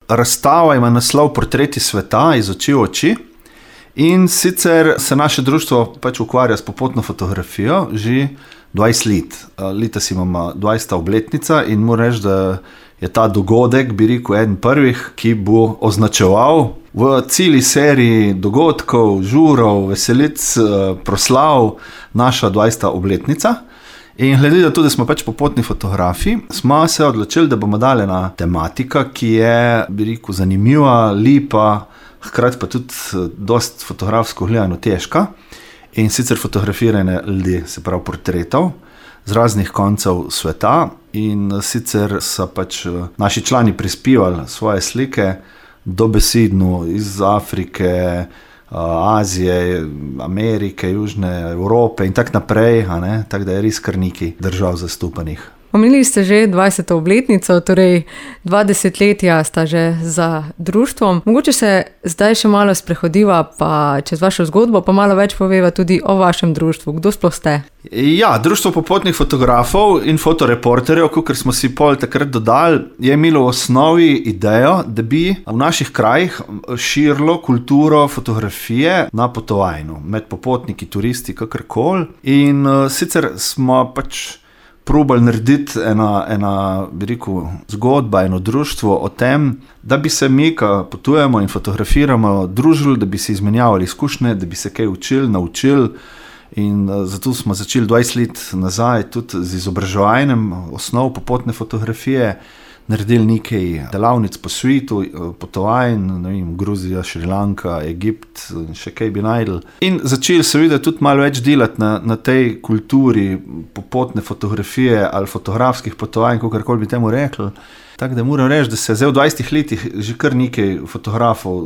razstava ima naslov Portreti sveta iz oči v oči. In sicer se naše društvo pač ukvarja s popotno fotografijo že 20 let. Letos imamo 20. obletnica in moram reči, da je ta dogodek, bi rekel, eden prvih, ki bo označeval v celi seriji dogodkov, žurov, veselic, proslav naša 20. obletnica. In glede na to, da smo pač popotni fotografi, smo se odločili, da bomo dali ena tematika, ki je, bi rekel, zanimiva, lepa, hkrati pa tudi dosti fotografsko gledano težka. In sicer fotografirane ljudi, se pravi portretov, z raznih koncev sveta. In sicer so pač naši člani prispevali svoje slike dobesedno iz Afrike, Azije, Amerike, Južne Evrope in tako naprej, tako da je res kar nekaj držav zastopanih. Omenili ste že 20. obletnico, torej 20 letja sta že za društvom. Mogoče se zdaj še malo sprehodiva pa čez vašo zgodbo, pa malo več poveva tudi o vašem društvu. Kdo sploh ste? Ja, Društvo popotnih fotografov in fotoreporterjev, kakor smo si pol takrat dodali, je imelo v osnovi idejo, da bi v naših krajih širilo kulturo fotografije na potovanju, med popotniki, turisti, kakorkoli. In sicer smo pač probali narediti ena, bi rekel, zgodba, eno društvo o tem, da bi se mi, ko potujemo in fotografiramo, družili, da bi se izmenjavali izkušnje, da bi se kaj učili, naučili. In zato smo začeli 20 let nazaj tudi z izobraževanjem osnov popotne fotografije, naredili nekaj delavnic po svetu, potovanj, ne vem, Gruzija, Šrilanka, Egipt, še kaj bi najdel. In začeli seveda tudi malo več delati na tej kulturi popotne fotografije ali fotografskih potovanj, kakorkoli bi temu rekli. Tako da moram reči, da se je zdaj v 20 letih že kar nekaj fotografov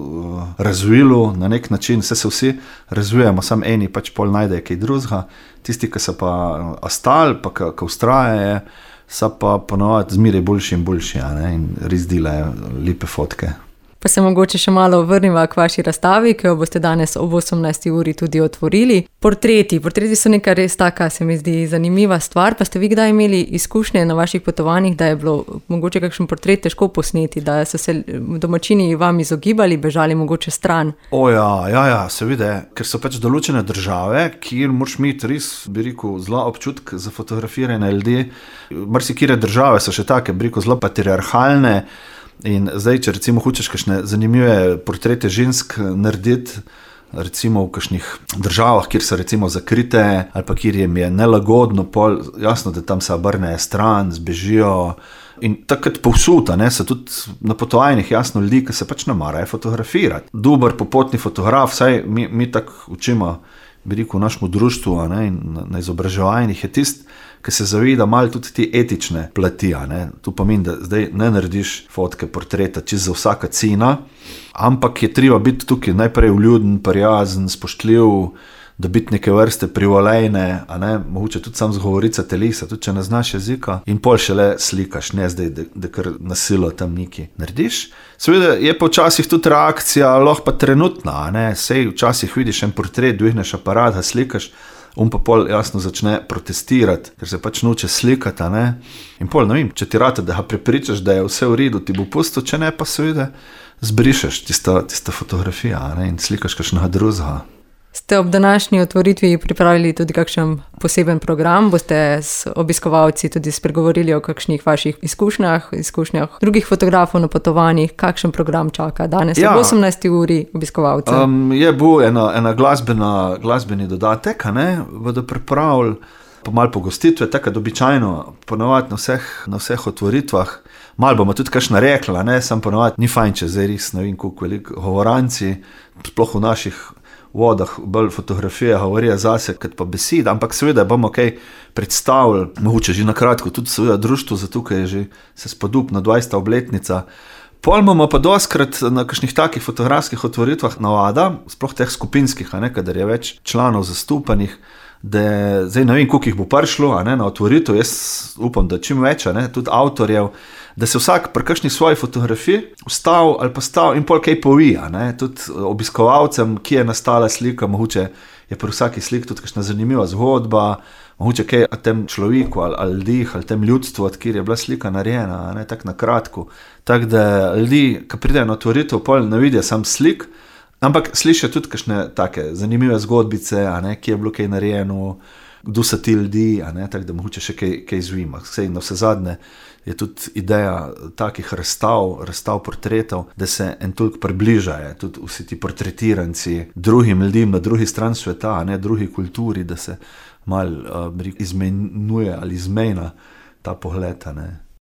razvilo na nek način, se vsi razvijamo, samo eni pač pol najdejo kaj drugega, tisti, ki so pa ostali, pa ki vztrajajo, so pa ponovadi zmeraj boljši in boljši, in res delajo lepe fotke. Pa se mogoče še malo vrniva k vaši razstavi, ki jo boste danes ob 18. uri tudi otvorili. Portreti so neka res taka, se mi zdi, zanimiva stvar. Pa ste vi kdaj imeli izkušnje na vaših potovanjih, da je bilo mogoče kakšen portret težko posneti, da so se domačini vam izogibali, bežali mogoče stran? Ja, seveda, ker so pač določene države, kjer moraš imeti res, bi rekel, zelo občutek za fotografiranje ljudi. Marsikere države so še take, bi rekel, zelo patriarhalne. In zdaj, če recimo hočeš kakšne zanimive portrete žensk narediti, recimo v kakšnih državah, kjer so recimo zakrite ali pa kjer jim je nelagodno, pol jasno, da tam se obrnejo stran, zbežijo. In takrat povsod, so tudi na potovanjih jasno ljudi, ki se pač ne marajo fotografirati. Dober popotni fotograf, saj mi tako učimo, bi rekel, v našem društvu, in na izobraževanjih je tisti, ki se zaveda malo tudi te etične plati. To pomeni, da zdaj ne narediš fotke, portreta čisto za vsaka cena, ampak je treba biti tukaj najprej vljuden, prijazen, spoštljiv, da biti neke vrste privolejne, mogoče tudi sam zgovorica telesa, tudi če ne znaš jezika, in pol šele slikaš, ne zdaj, da kar nasilo tam nekaj narediš. Seveda je pa včasih tudi reakcija lahko pa trenutna, sej včasih vidiš en portret, dvigneš aparat, ga slikaš, pa pol jasno začne protestirati, ker se pač noče slikati, In pol, ne vem, če ti rata, da ga prepričaš, da je vse v redu, ti bo pustil, če ne pa seveda zbrišeš tista fotografija, in slikaš kakšnega drugega. Ste ob današnji otvoritvi pripravili tudi kakšen poseben program? Boste s obiskovalci tudi spregovorili o kakšnih vaših izkušnjah drugih fotografov na potovanjih? Kakšen program čaka danes ob 18. uri obiskovalce? Je bil ena glasbeni dodatek, bodo pripravili pa malo pogostitve, tako običajno ponovadi na vseh otvoritvah. Malo bomo tudi kakšna rekla, sam ponovadi ni fajn, če zdaj res ne vem koliko veliko govoranci, sploh v naših vodah bolj fotografije govorijo zase, kot pa beseda, ampak seveda bomo kaj predstavili, mogoče že na kratko, tudi seveda društvo, zato ker je že se spodobna 20. obletnica. Pol bomo pa dostkrat na kakšnih takih fotografskih otvoritvah navada, sploh teh skupinskih, kadar je več članov zastopanih, da zdaj ne vem, koliko jih bo prišlo na otvoritev, jaz upam, da čim več, tudi avtorjev, da se vsak pri kakšni svoji fotografiji vstav ali pa stav in pol kaj povija, tudi obiskovalcem, ki je nastala slika, mogoče je pri vsaki slik tudi kakšna zanimiva zgodba, mogoče kaj o tem človeku ali ljudih ali tem ljudstvu, od kjer je bila slika narejena, ne, tako na kratko. Tako da ljudi, ki pridejo na otvoritev, pol ne vidijo sam slik, ampak slišijo tudi kakšne take zanimive zgodbice, a ne, kje je bilo kaj narejeno, kdo so ti ljudi, a ne, tako da mogoče še kaj izvima. Sej na vse zadnje je tudi ideja takih razstav portretov, da se en toliko približajo, tudi vsi ti portretiranci drugim ljudem na drugi strani sveta, a ne, drugi kulturi, da se malo izmenjuje ali izmejna ta pogled, a ne.